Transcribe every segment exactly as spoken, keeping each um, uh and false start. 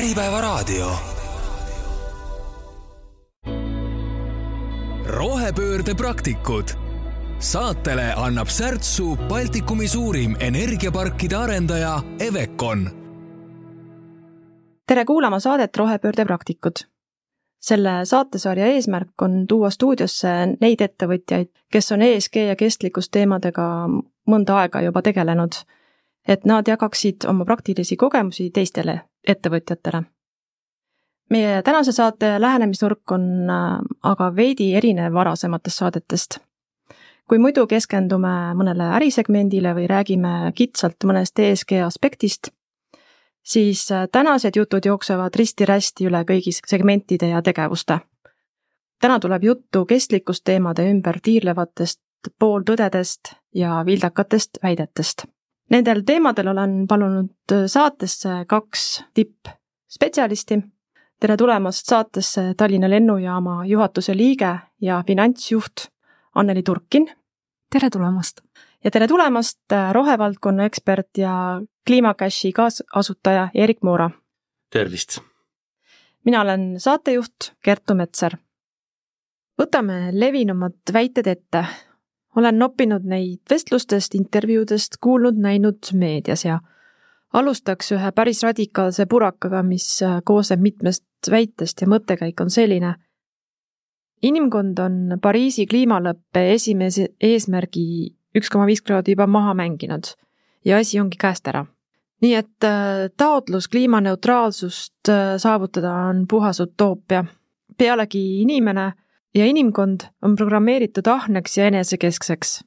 Äripäevaraadio. Rohepöörde praktikud. Saatele annab särtsu Baltikumi suurim energiaparkide arendaja Evecon. Tere kuulama saadet Rohepöörde praktikud. Selle saatesarja eesmärk on tuua stuudiosse neid ettevõtjaid, kes on E S G ja kestlikkusteemadega mõnda aega juba tegelenud, et nad jagaksid oma praktilisi kogemusi teistele ettevõtjatele. Meie tänase saate lähenemisnurk on aga veidi erinev varasematest saadetest. Kui muidu keskendume mõnele ärisegmendile või räägime kitsalt mõnest E S G aspektist, siis tänased jutud jooksevad risti-rästi üle kõigi segmentide ja tegevuste. Täna tuleb juttu kestlikkusteemade ümber tiirlevatest pooltõdedest ja vildakatest väidetest. Nendel teemadel olen palunud saatesse kaks tippspetsialisti. Tere tulemast saatesse Tallinna lennujaama juhatuse liige ja finantsjuht Anneli Turkin. Tere tulemast. Ja tere tulemast rohevaldkonna ekspert ja Kliimacashi kaasasutaja Erik Moora. Tervist. Mina olen saatejuht Kertu Metser. Võtame levinumad väited ette. Olen noppinud neid vestlustest, intervjuudest, kuulnud, näinud meedias ja alustaks ühe päris radikaalse purakaga, mis koosneb mitmest väitest ja mõttekäik on selline. Inimkond on Pariisi kliimalõppe esimese eesmärgi üks koma viis kraadi juba maha mänginud ja asi ongi käest ära. Nii et taotlus kliimaneutraalsust saavutada on puhas utoopia. Pealegi inimene ja inimkond on programmeeritud ahneks ja enesekeskseks.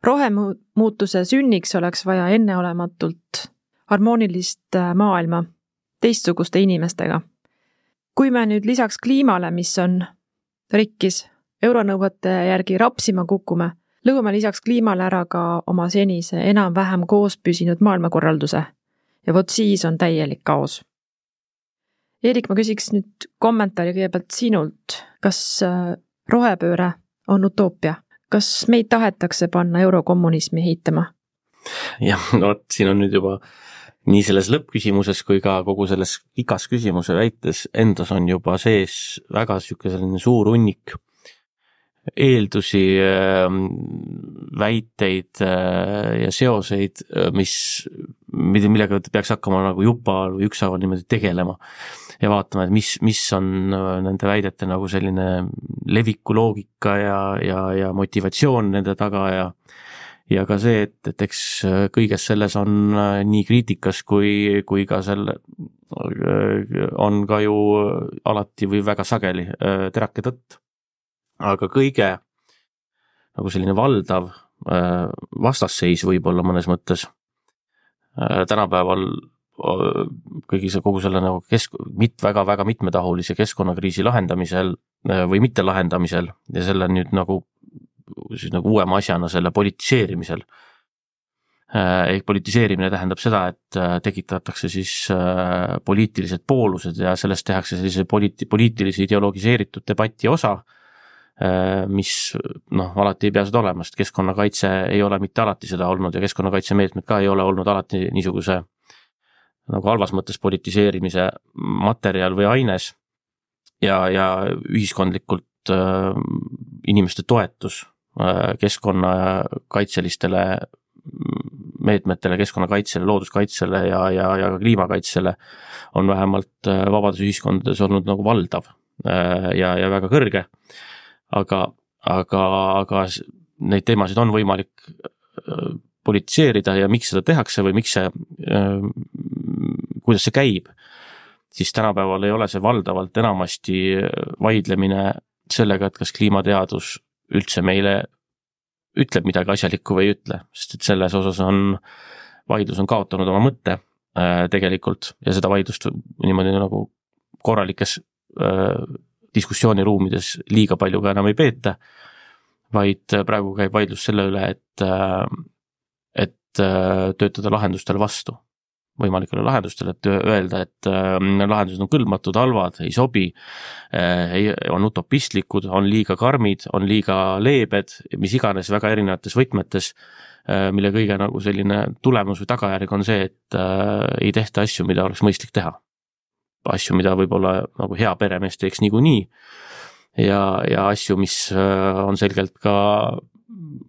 Rohemuutuse sünniks oleks vaja enneolematult harmoonilist maailma teistsuguste inimestega. Kui me nüüd lisaks kliimale, mis on rikkis, euronõuete järgi rapsima kukume, lõuame lisaks kliimale ära ka oma senise enam-vähem koos püsinud maailmakorralduse. Ja vot siis on täielik kaos. Erik, ma küsiks nüüd kommentaari kõigepealt sinult. Kas rohepööre on utoopia? Kas meid tahetakse panna eurokommunismi heitama? Jah, no siin on nüüd juba nii selles lõppküsimuses kui ka kogu selles igas küsimuse väites endas on juba sees väga selline suur hunnik eeldusi, väiteid ja seoseid, mis, millega peaks hakkama nagu juba või ükshaaval niimoodi tegelema ja vaatama, et mis, mis on nende väidete nagu selline leviku loogika ja, ja, ja motivatsioon nende taga ja ja ka see, et, et eks kõiges selles on nii kriitikas kui, kui ka selle on ka ju alati või väga sageli terake tõtt. Aga kõige nagu selline valdav vastasseis võib-olla mõnes mõttes tänapäeval kõigi see kogu selle nagu kesk, mit, väga, väga mitmetahulise keskkonnakriisi lahendamisel või mitte lahendamisel ja selle nüüd nagu, siis nagu uuema asjana selle politiseerimisel. Ehk politiseerimine tähendab seda, et tekitatakse siis poliitilised poolused ja sellest tehakse sellise poliit, poliitilise ideologiseeritud debati osa, mis noh, alati ei pea seda olema, sest keskkonnakaitse ei ole mitte alati seda olnud ja keskkonnakaitsemeetmed ka ei ole olnud alati niisuguse nagu halvas mõttes politiseerimise materjal või aines ja, ja ühiskondlikult äh, inimeste toetus äh, keskkonnakaitselistele meetmetele, keskkonnakaitsele, looduskaitsele ja, ja, ja kliimakaitsele on vähemalt vabadusühiskondades olnud nagu valdav äh, ja, ja väga kõrge. Aga, aga, aga neid teemasid on võimalik politiseerida ja miks seda tehakse või miks see, kuidas see käib, siis tänapäeval ei ole see valdavalt enamasti vaidlemine sellega, et kas kliimateadus üldse meile ütleb midagi asjalikku või ei ütle, sest et selles osas on, vaidlus on kaotanud oma mõtte tegelikult ja seda vaidlust niimoodi nagu korralikes diskussiooniruumides liiga palju ka enam ei peeta, vaid praegu käib vaidlus selle üle, et, et töötada lahendustele vastu, võimalikele lahendustele, et öelda, et lahendused on kõlbmatud, halvad, ei sobi, on utopistlikud, on liiga karmid, on liiga leebed, mis iganes väga erinevates võtmetes, mille kõige nagu selline tulemus või tagajärg on see, et ei tehta asju, mida oleks mõistlik teha. asju, mida võib-olla nagu hea peremees teeks niikuinii ja, ja asju, mis on selgelt ka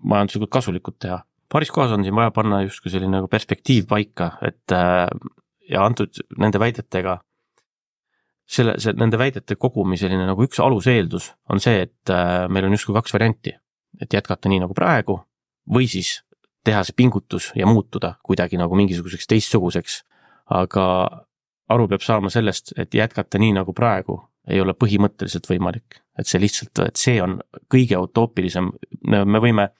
majanduslikult kasulikud teha. Paaris kohas on siin vaja panna justkui selline nagu perspektiiv paika, et ja antud nende väidetega, selle, see, nende väidete kogumi selline nagu üks aluseeldus on see, et meil on justkui kaks varianti, et jätkata nii nagu praegu või siis teha see pingutus ja muutuda kuidagi nagu mingisuguseks teistsuguseks, aga aru peab saama sellest, et jätkata nii nagu praegu ei ole põhimõtteliselt võimalik, et see lihtsalt, et see on kõige utoopilisem, me võime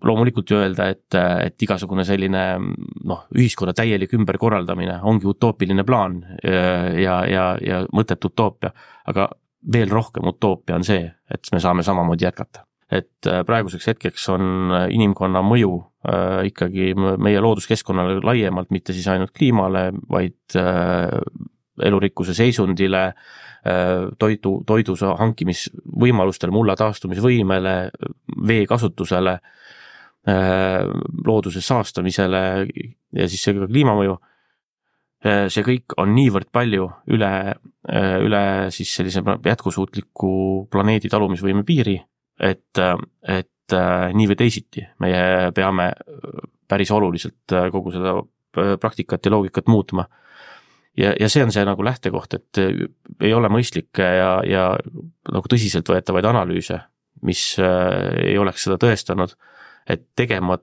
loomulikult ju öelda, et, et igasugune selline noh, ühiskonna täielik ümberkorraldamine ongi utoopiline plaan ja, ja, ja mõtet utoopia, aga veel rohkem utoopia on see, et me saame samamoodi jätkata. Et praeguseks hetkeks on inimkonna mõju äh, ikkagi meie looduskeskkonnale laiemalt, mitte siis ainult kliimale, vaid äh, elurikkuse seisundile, äh, toidu, toidu hankimisvõimalustele, mulla taastumisvõimele, vee kasutusele, äh, looduse saastamisele ja siis see ka kliimamõju. Äh, see kõik on niivõrd palju üle, äh, üle siis sellise jätkusuutliku planeedi talumisvõime piiri, et, et nii või teisiti meie peame päris oluliselt kogu seda praktikat ja loogikat muutma. Ja, ja see on see nagu lähtekoht, et ei ole mõistlik ja, ja nagu tõsiselt võetavaid analüüse, mis ei oleks seda tõestanud, et tegema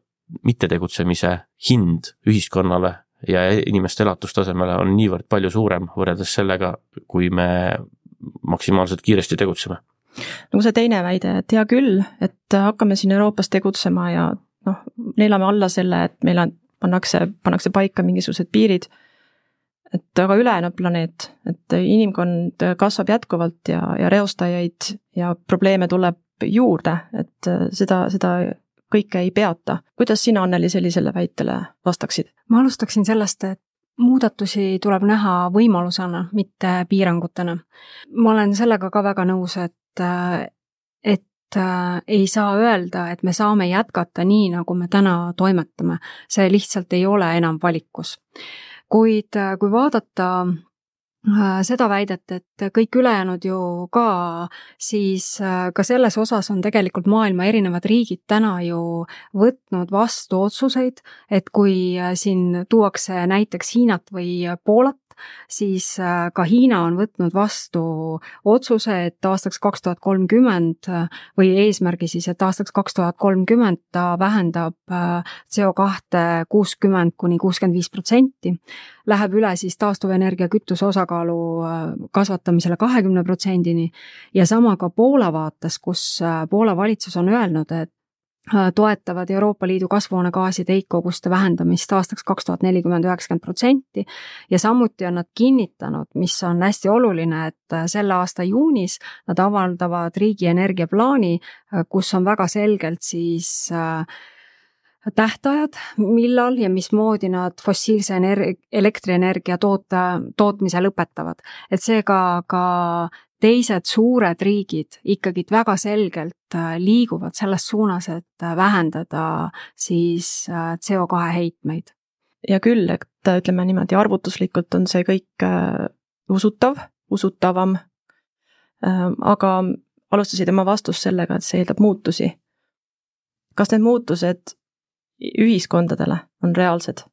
mittetegutsemise hind ühiskonnale ja inimeste elatustasemele on niivõrd palju suurem võrreldes sellega, kui me maksimaalselt kiiresti tegutseme. Nagu see teine väide, et hea küll, et hakkame siin Euroopas tegutsema ja noh, neelame alla selle, et meil on, pannakse, pannakse paika mingisugused piirid, et aga ülejäänud planeet, et inimkond kasvab jätkuvalt ja, ja reostajaid ja probleeme tuleb juurde, et seda, seda kõike ei peata. Kuidas sina, Anneli, sellisele väitele vastaksid? Ma alustaksin sellest, et muudatusi tuleb näha võimalusena, mitte piirangutena. Ma olen sellega ka väga nõus, et et ei saa öelda, et me saame jätkata nii, nagu me täna toimetame. See lihtsalt ei ole enam valikus. Kuid kui vaadata seda väidet, et kõik ülejäänud ju ka, siis ka selles osas on tegelikult maailma erinevad riigid täna ju võtnud vastu otsuseid, et kui siin tuuakse näiteks Hiinat või Poolat, siis ka Hiina on võtnud vastu otsuse, et aastaks kaks tuhat kolmkümmend või eesmärgi siis, et aastaks kaks tuhat kolmkümmend ta vähendab C O kahte kuuskümmend kuni kuuskümmend viis protsenti, läheb üle siis taastuvenergia kütuse osakaalu kasvatamisele kahekümne protsendini ja sama ka Poola vaates, kus Poola valitsus on öelnud, et toetavad Euroopa Liidu kasvuhoonegaaside heitkoguste vähendamist aastaks kaks tuhat nelikümmend üheksakümmend protsenti ja samuti on nad kinnitanud, mis on hästi oluline, et selle aasta juunis nad avaldavad riigi energiaplaani, kus on väga selgelt siis tähtajad, millal ja mismoodi nad fossiilse energi- elektrienergia toota, tootmise lõpetavad. Et seega ka teised suured riigid ikkagi väga selgelt liiguvad selles suunas, et vähendada siis C O kahe heitmeid. Ja küll, et ütleme niimoodi, arvutuslikult on see kõik usutav, usutavam, aga alustasid oma vastust sellega, et see eeldab muutusi. Kas need muutused ühiskondadele on reaalsed?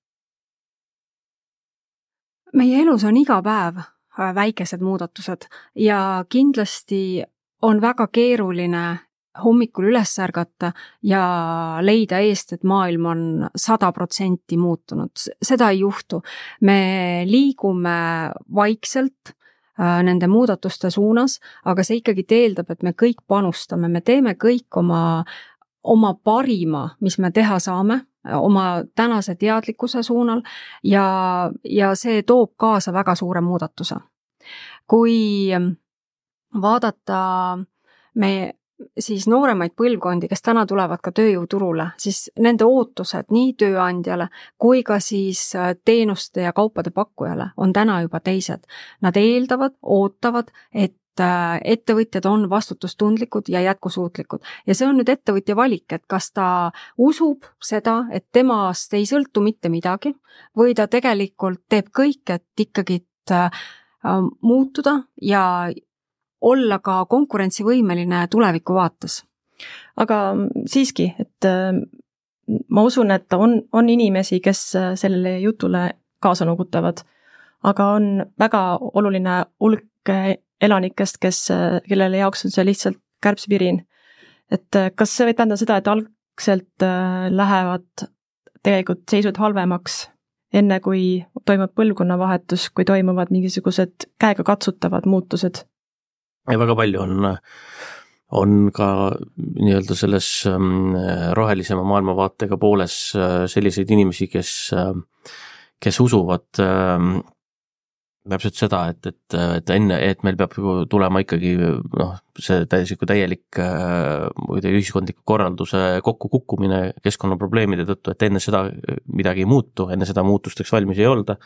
Meie elus on iga päev väikesed muudatused ja kindlasti on väga keeruline hommikul üles ärgata ja leida eest, et maailm on sada protsenti muutunud. Seda ei juhtu. Me liigume vaikselt nende muudatuste suunas, aga see ikkagi teeldab, et me kõik panustame, me teeme kõik oma, oma parima, mis me teha saame, oma tänase teadlikkuse suunal ja, ja see toob kaasa väga suure muudatuse. Kui vaadata me siis nooremaid põlvkondi, kes täna tulevad ka tööjõuturule, siis nende ootused nii tööandjale kui ka siis teenuste ja kaupade pakkujale on täna juba teised. Nad eeldavad, ootavad, et ettevõtjad on vastutustundlikud ja jätkusuutlikud. Ja see on nüüd ettevõtja valik, et kas ta usub seda, et temast ei sõltu mitte midagi või ta tegelikult teeb kõik, et ikkagi muutuda ja olla ka konkurentsivõimeline tuleviku vaates. Aga siiski, et ma usun, et on, on inimesi, kes sellele jutule kaasa nugutavad, aga on väga oluline hulk elanikest, kes, kellele jaoks on see lihtsalt kärbsvirin. Et kas see võib tähendada seda, et algselt lähevad tegelikult seisud halvemaks, enne kui toimub põlvkonnavahetus, kui toimuvad mingisugused käega katsutavad muutused? Ja väga palju on, on ka nii-öelda selles rohelisema maailmavaatega pooles selliseid inimesi, kes, kes usuvad täpselt seda, et, et, et enne, et meil peab tulema ikkagi noh, see täieliku täielik ühiskondliku korralduse kokkukukkumine keskkonnaprobleemide tõttu, et enne seda midagi ei muutu, enne seda muutusteks valmis ei olda.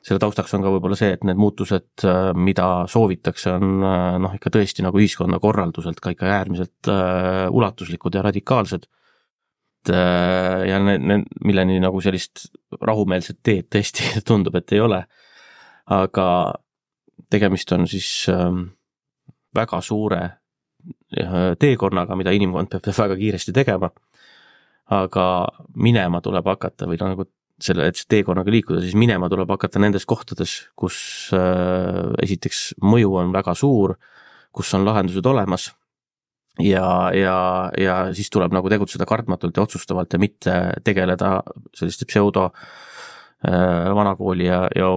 Selle taustaks on ka võib-olla see, et need muutused, mida soovitakse, on noh, ikka tõesti nagu ühiskonna korralduselt ka ikka äärmiselt ulatuslikud ja radikaalsed. Ja ne, ne, milleni nagu sellist rahumeelset teed tõesti tundub, et ei ole. Aga tegemist on siis väga suure teekonnaga, mida inimkond peab väga kiiresti tegema, aga minema tuleb hakata või nagu selle, et see teekonnaga liikuda, siis minema tuleb hakata nendes kohtades, kus esiteks mõju on väga suur, kus on lahendused olemas ja, ja, ja siis tuleb nagu tegutseda kartmatult ja otsustavalt ja mitte tegeleda selliste pseudo vanakooli ja, ja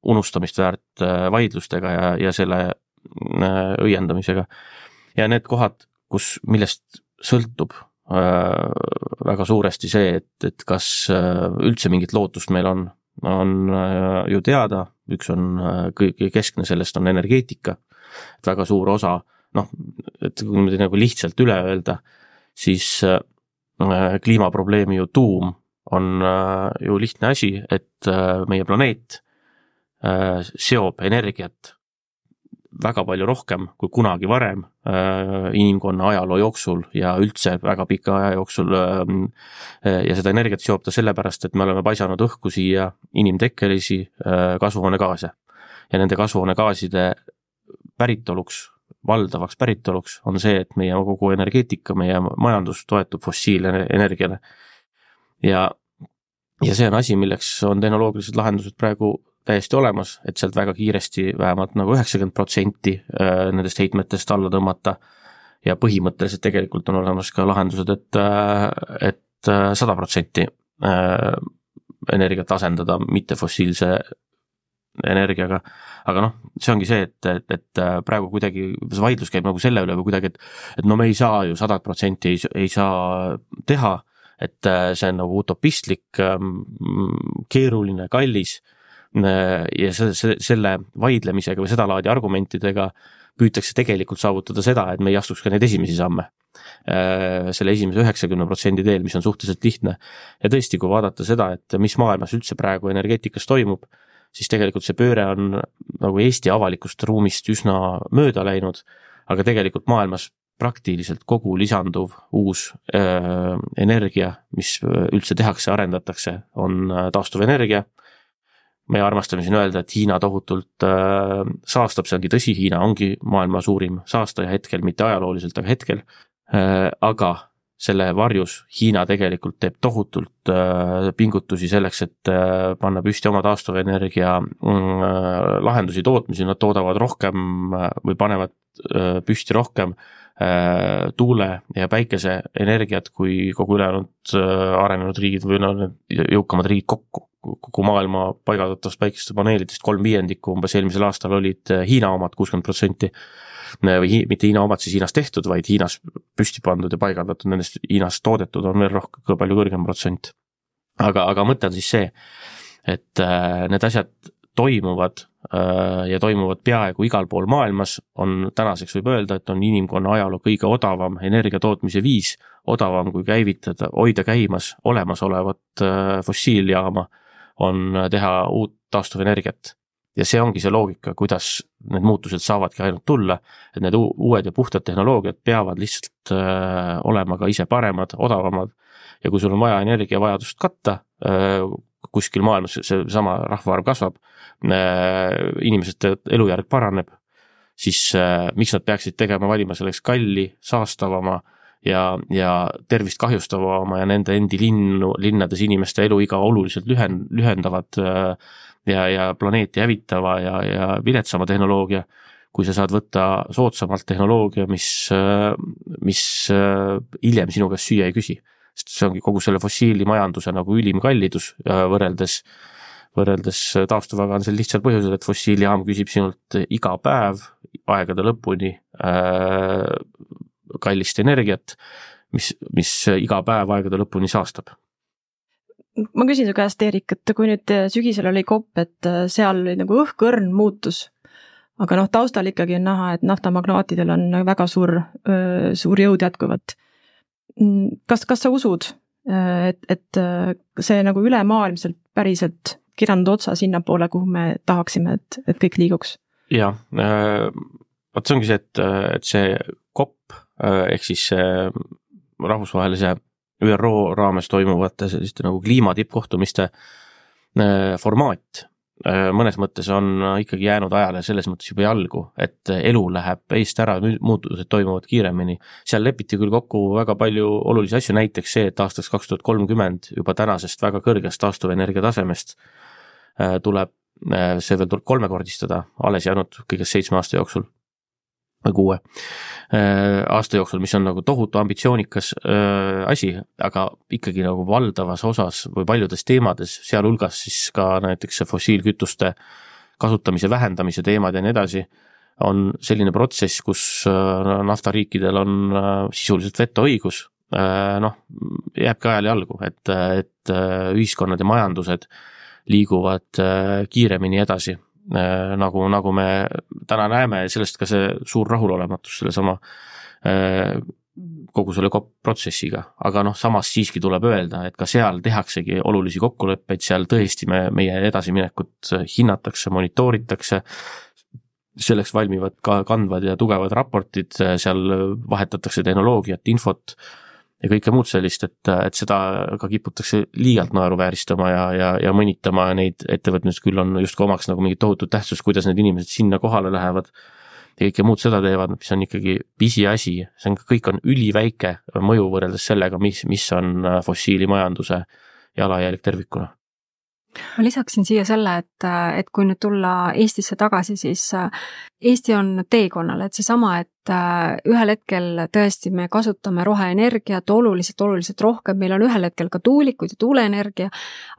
unustamist väärt vaidlustega ja, ja selle õiendamisega. Ja need kohad, kus, millest sõltub äh, väga suuresti see, et, et kas üldse mingit lootust meil on, on äh, ju teada, üks on äh, kõige keskne, sellest on energeetika, et väga suur osa, noh, et kui me nagu lihtsalt üle öelda, siis äh, kliimaprobleemi ju tuum on äh, ju lihtne asi, et äh, meie planeet seob energiat väga palju rohkem kui kunagi varem inimkonna ajaloo jooksul ja üldse väga pika aja jooksul ja seda energiat seob ta sellepärast, et me oleme paisanud õhku siia inimtekkelisi kasvuhoonegaase ja nende kasvuhoonegaaside päritoluks, valdavaks päritoluks on see, et meie kogu energeetika, meie majandus toetub fossiilenergiale ja, ja see on asi, milleks on tehnoloogilised lahendused praegu täiesti olemas, et sealt väga kiiresti vähemalt nagu üheksakümmend protsenti nendest heitmetest alla tõmmata ja põhimõtteliselt tegelikult on olemas ka lahendused, et, et sada protsenti energiat asendada mitte fossiilse energiaga, aga noh, see ongi see, et, et, et praegu kuidagi see vaidlus käib nagu selle üle või kuidagi, et, et no me ei saa ju sada protsenti ei, ei saa teha, et see on nagu utopistlik, keeruline, kallis ja selle, selle vaidlemisega või seda laadi argumentidega püütakse tegelikult saavutada seda, et me ei astuks ka neid esimesi samme. Selle esimese üheksakümne protsendi teel, mis on suhteliselt lihtne. Ja tõesti, kui vaadata seda, et mis maailmas üldse praegu energeetikas toimub, siis tegelikult see pööre on nagu Eesti avalikust ruumist üsna mööda läinud, aga tegelikult maailmas praktiliselt kogu lisanduv uus äh, energia, mis üldse tehakse, arendatakse, on taastuvenergia. Me armastame siin öelda, et Hiina tohutult äh, saastab, see ongi tõsi, Hiina ongi maailma suurim saastaja hetkel, mitte ajalooliselt, aga hetkel. Äh, aga selle varjus Hiina tegelikult teeb tohutult äh, pingutusi selleks, et äh, panna püsti oma taastuvenergia äh, lahendusi tootmisi, nad toodavad rohkem äh, või panevad äh, püsti rohkem äh, tuule- ja päikeseenergiat kui kogu ülejäänud äh, arenenud riigid või no, jõukamad riigid kokku. Kogu maailma paigaldatavast päikeste paneelidest kolm viiendikku umbes eelmisel aastal olid Hiina omad kuuskümmend protsenti või hi, mitte Hiina omad siis Hiinas tehtud, vaid Hiinas püsti pandud ja paigaldatud, nendest Hiinas toodetud on veel rohkem, palju kõrgem protsent. Aga, aga mõte on siis see, et äh, need asjad toimuvad äh, ja toimuvad peaaegu igal pool maailmas, on tänaseks võib öelda, et on inimkonna ajaloo kõige odavam energiatootmise viis, odavam kui käivitada, hoida käimas olemasolevat äh, fossiiljaama, on teha uut taastuvenergiat. Ja see ongi see loogika, kuidas need muutused saavadki ainult tulla, et need uued ja puhtad tehnoloogiad peavad lihtsalt äh, olema ka ise paremad, odavamad ja kui sul on vaja energiavajadust katta, äh, kuskil maailmas see sama rahvaarv kasvab, inimeste elujärg paraneb, siis miks nad peaksid tegema valima selleks kalli, saastavama ja, ja tervist kahjustavama ja nende endi linnu, linnades inimeste eluiga oluliselt lühen, lühendavad ja, ja planeeti hävitava ja, ja viletsama tehnoloogia, kui sa saad võtta soodsamalt tehnoloogia, mis, mis hiljem sinu käest süüa ei küsi. Sest see ongi kogu selle fossiilimajanduse nagu ülim kallidus võrreldes, võrreldes taastuvaga on see lihtsalt põhjusel, et fossiilijaam küsib sinult iga päev aegade lõpuni äh, kallist energiat, mis, mis iga päev aegade lõpuni saastab. Ma küsin su käest, Eerik, et kui nüüd sügisel oli kopp, et seal oli nagu õhkõrn muutus, aga noh, taustal ikkagi on näha, et naftamagnaatidel on väga suur, suur jõud jätkuvat. Kas, kas sa usud, et, et see nagu ülemaailmselt päriselt kirjanud otsa sinna poole, kuhu me tahaksime, et, et kõik liiguks? Jaa, võt see ongi see, et, et see kopp ehk siis rahvusvahelise Ü R O raames toimuvate selliste nagu kliimatippkohtumiste formaat mõnes mõttes on ikkagi jäänud ajale selles mõttes juba jalgu, et elu läheb eest ära, muutused toimuvad kiiremini. Seal lepiti küll kokku väga palju olulisi asju, näiteks see, et aastaks kaks tuhat kolmkümmend juba tänasest väga kõrgest taastuvenergia tasemest tuleb see veel tuleb kolmekordistada, alles jäänud kõigest seitsme aasta jooksul või kuue aasta jooksul, mis on nagu tohutu ambitsioonikas asi, aga ikkagi nagu valdavas osas või paljudes teemades, sealhulgas siis ka näiteks fossiilkütuste kasutamise vähendamise teemad ja nii edasi, on selline protsess, kus naftariikidel on sisuliselt vetoõigus, noh, jääbki ajal jalgu, et, et ühiskonnad ja majandused liiguvad kiiremini edasi. Nagu, nagu me täna näeme, sellest ka see suur rahulolematus selle sama kogu selle protsessiga, aga noh, samas siiski tuleb öelda, et ka seal tehaksegi olulisi kokkuleppeid, seal tõesti me, meie edasiminekut hinnatakse, monitooritakse, selleks valmivad ka kandvad ja tugevad raportid, seal vahetatakse tehnoloogiat, infot ja kõike muud sellist, et, et seda ka kiputakse liialt naeruvääristama ja, ja, ja mõnitama neid ettevõtmist küll on just omaks nagu mingit tohutut tähtsust, kuidas need inimesed sinna kohale lähevad ja kõike muud seda teevad, mis on ikkagi pisi asi, see on, kõik on üliväike mõju võrreldes sellega, mis, mis on fossiilimajanduse jalajälg tervikuna. Ma lisaksin siia selle, et, et kui nüüd tulla Eestisse tagasi, siis Eesti on teekonnal, et see sama, et ühel hetkel tõesti me kasutame roheenergiat oluliselt, oluliselt rohkem, meil on ühel hetkel ka tuulikud ja tuuleenergia,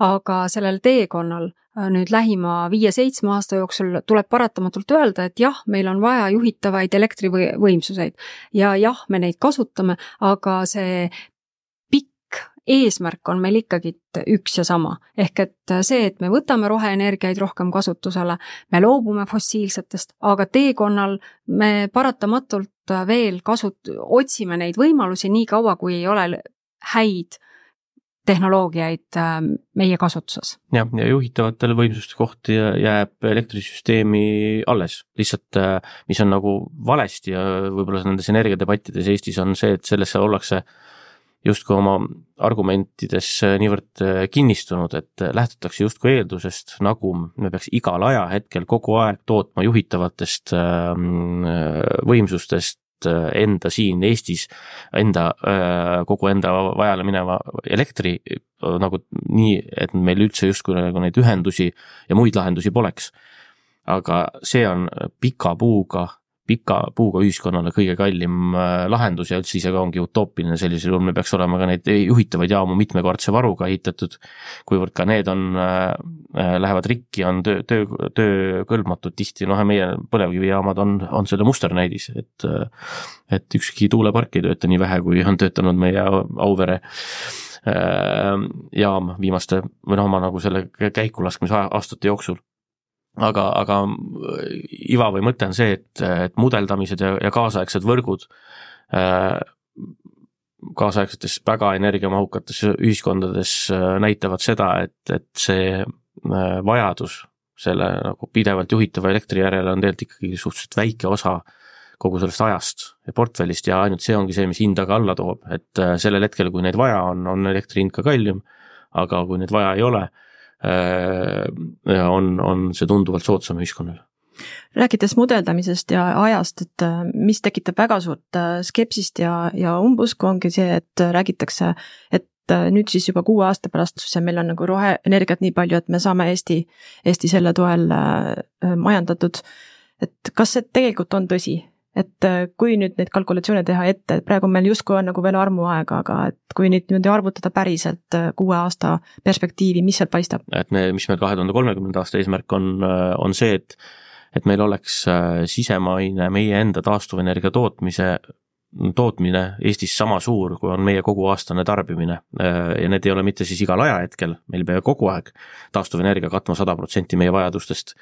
aga sellel teekonnal nüüd lähima viie-seitsme aasta jooksul tuleb paratamatult öelda, et jah, meil on vaja juhitavaid elektrivõimsuseid ja jah, me neid kasutame, aga see eesmärk on meil ikkagi üks ja sama. Ehk et see, et me võtame roheenergiaid rohkem kasutusele, me loobume fossiilsetest, aga teekonnal me paratamatult veel kasut-, otsime neid võimalusi nii kaua, kui ei ole häid tehnoloogiaid meie kasutuses. Ja, ja juhitavatele võimsuste kohti jääb elektrisüsteemi alles. Lihtsalt, mis on nagu valesti ja võib-olla nendes energiadebattides Eestis on see, et sellesse ollakse justkui oma argumentides niivõrd kinnistunud, et lähtutakse justkui eeldusest, nagu me peaks igal ajahetkel kogu aeg tootma juhitavatest võimsustest enda siin Eestis, enda, kogu enda vajale mineva elektri nagu nii, et meil üldse justkui nagu neid ühendusi ja muid lahendusi poleks. Aga see on pika puuga pika puuga ühiskonnale kõige kallim lahendus ja üldse ise ka ongi utoopiline, sellisel juhul me peaks olema ka neid juhitavaid jaamu mitmekordse varuga ehitatud, kuivõrd ka need on, lähevad rikki, on töö, töö, töö kõlbmatud tihti, noh meie põlevkivijaamad on, on selle musternäidis, et, et ükski tuulepark ei tööta nii vähe, kui on töötanud meie Auvere jaam viimaste või noh, oma nagu selle käikulaskmise aastate jooksul. Aga, aga iva või mõte on see, et, et mudeldamised ja, ja kaasaegsed võrgud kaasaegsetes väga energiamahukates ühiskondades näitavad seda, et, et see vajadus selle nagu pidevalt juhitava elektri järele on tegelikult ikkagi suhteliselt väike osa kogu sellest ajast ja portfellist ja ainult see ongi see, mis hinda ka alla toob, et sellel hetkel, kui neid vaja on, on elektri hind ka kallim, aga kui neid vaja ei ole, on, on see tunduvalt soodsam ühiskonnale. Rääkides mudeldamisest ja ajast, et mis tekitab väga suurt skepsist ja, ja umbusku ongi see, et räägitakse, et nüüd siis juba kuue aasta pärast meil on nagu roheenergiat nii palju, et me saame Eesti, Eesti selle toel majandatud. Et kas see tegelikult on tõsi? Et kui nüüd neid kalkulatsioone teha ette, et praegu meil justkui on nagu veel armuaega, aga et kui nüüd niimoodi arvutada päriselt kuue aasta perspektiivi, mis seal paistab? Et me, mis meil kahe tuhande kolmekümnenda aasta eesmärk on, on see, et et meil oleks sisemaine meie enda taastuvenergia tootmise, tootmine Eestis sama suur, kui on meie kogu aastane tarbimine. Ja need ei ole mitte siis igal ajahetkel, meil peab kogu aeg taastuvenergia katma sada protsenti meie vajadustest,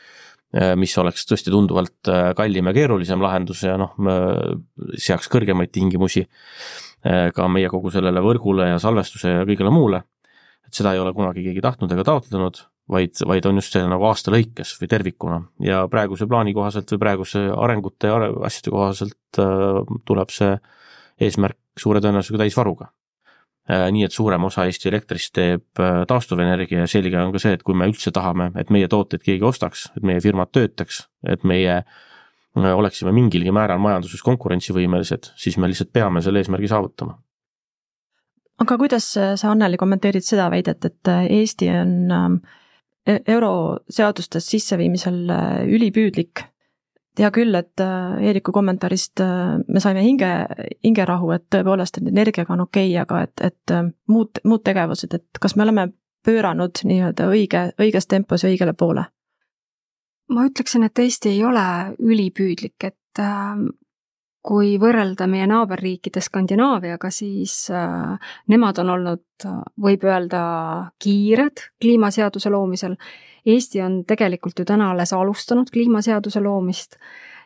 mis oleks tõesti tunduvalt kallim ja keerulisem lahendus ja noh, seaks kõrgemaid tingimusi ka meie kogu sellele võrgule ja salvestuse ja kõigele muule. Et seda ei ole kunagi keegi tahtnud ega taotlenud, vaid, vaid on just see nagu aasta lõikes või tervikuna ja praeguse plaani kohaselt või praeguse arengute ja asjade kohaselt tuleb see eesmärk suure tõenäosusega täisvaruga. Nii et suurem osa Eesti elektrist teeb taastuvenergia ja selge on ka see, et kui me üldse tahame, et meie tooteid keegi ostaks, et meie firmad töötaks, et meie oleksime mingilgi määral majanduses konkurentsivõimelised, siis me lihtsalt peame selle eesmärgi saavutama. Aga kuidas sa, Anneli, kommenteerid seda väidet, et Eesti on euroseadustes sisseviimisel ülipüüdlik? Tea küll, et Eeriku kommentaarist me saime hinge, hingerahu, et tõepoolest, et energiaga on okei, aga et, et muud, muud tegevused, et kas me oleme pööranud nii-öelda õige, õiges tempos ja õigele poole? Ma ütleksin, et Eesti ei ole ülipüüdlik, et kui võrrelda meie naaberriikide Skandinaaviaga, siis äh, nemad on olnud, võib öelda, kiired kliimaseaduse loomisel. Eesti on tegelikult ju täna alles alustanud kliimaseaduse loomist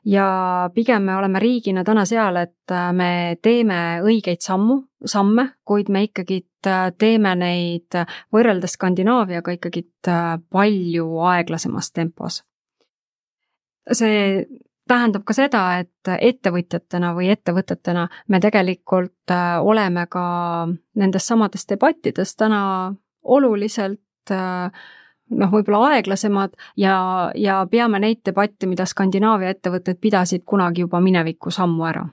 ja pigem me oleme riigina täna seal, et me teeme õigeid sammu, samme, kuid me ikkagi teeme neid võrreldes Skandinaaviaga ikkagi palju aeglasemas tempos. See tähendab ka seda, et ettevõtjatena või ettevõtetena me tegelikult oleme ka nendes samades debattides täna oluliselt noh, võib-olla aeglasemad ja, ja peame neid debatte, mida Skandinaavia ettevõtted pidasid kunagi juba mineviku sammu ära.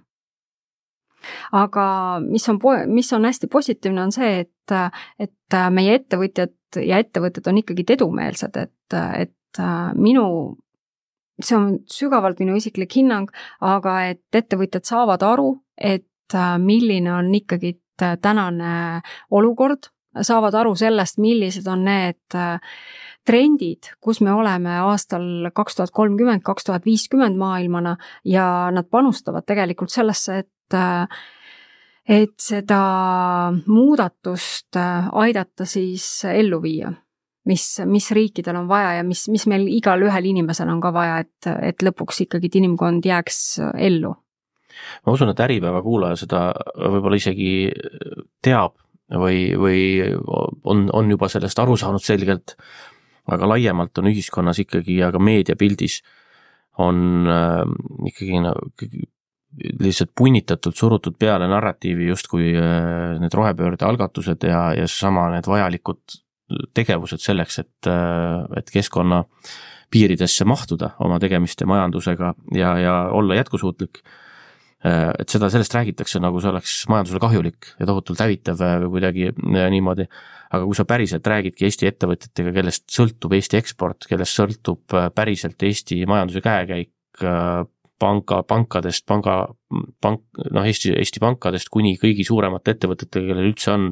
Aga mis on, mis on hästi positiivne on see, et, et meie ettevõtjad ja ettevõtted on ikkagi edumeelsed, et, et minu see on sügavalt minu isiklik hinnang, aga et ettevõtjad saavad aru, et milline on ikkagi tänane olukord, saavad aru sellest, millised on need trendid, kus me oleme aastal kaks tuhat kolmkümmend, kaks tuhat viiskümmend maailmana ja nad panustavad tegelikult sellesse, et et seda muudatust aidata siis ellu viia. Mis, mis riikidel on vaja ja mis, mis meil igal ühel inimesel on ka vaja, et, et lõpuks ikkagi inimkond jääks ellu. Ma usun, et Äripäeva kuulaja seda võib-olla isegi teab või, või on, on juba sellest aru saanud selgelt, aga laiemalt on ühiskonnas ikkagi ja ka meediapildis on äh, ikkagi lihtsalt punnitatud, surutud peale narratiivi justkui äh, need rohepöörde algatused ja, ja sama need vajalikud tegevused selleks, et, et keskkonna piiridesse mahtuda oma tegemiste majandusega ja, ja olla jätkusuutlik. Et seda, sellest räägitakse nagu see oleks majandusele kahjulik ja tohutult hävitav või kuidagi niimoodi. Aga kui sa päriselt räägidki Eesti ettevõtjatega, kellest sõltub Eesti eksport, kellest sõltub päriselt Eesti majanduse käekäik, panka, pankadest, panga, pank, noh, Eesti, Eesti pankadest kuni kõigi suuremate ettevõtetega, kellel üldse on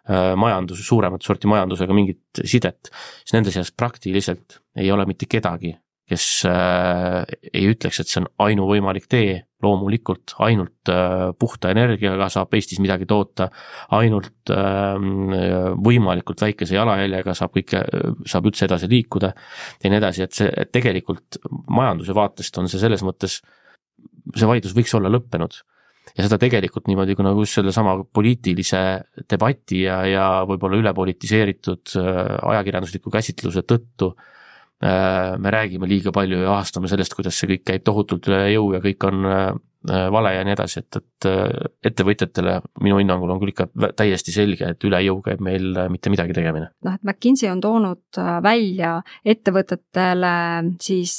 majandus, suuremat sorti majandusega mingit sidet, siis nende seas praktiliselt ei ole mitte kedagi, kes äh, ei ütleks, et see on ainuvõimalik tee, loomulikult ainult äh, puhta energiaga saab Eestis midagi toota, ainult äh, võimalikult väikese jalajäljega saab kõike, saab üldse edasi liikuda ja nii edasi, et see et tegelikult majanduse vaatest on see selles mõttes, see vaidlus võiks olla lõppenud. Ja seda tegelikult niimoodi, kui nagu just selle sama poliitilise debati ja, ja võib-olla ülepolitiseeritud ajakirjandusliku käsitluse tõttu me räägime liiga palju ja ahastame sellest, kuidas see kõik käib tohutult üle jõu ja kõik on vale ja nii edasi, et, et ettevõtjatele minu hinnangul on küll ikka täiesti selge, et üle jõu käib meil mitte midagi tegemine. Noh, et McKinsey on toonud välja ettevõtetele siis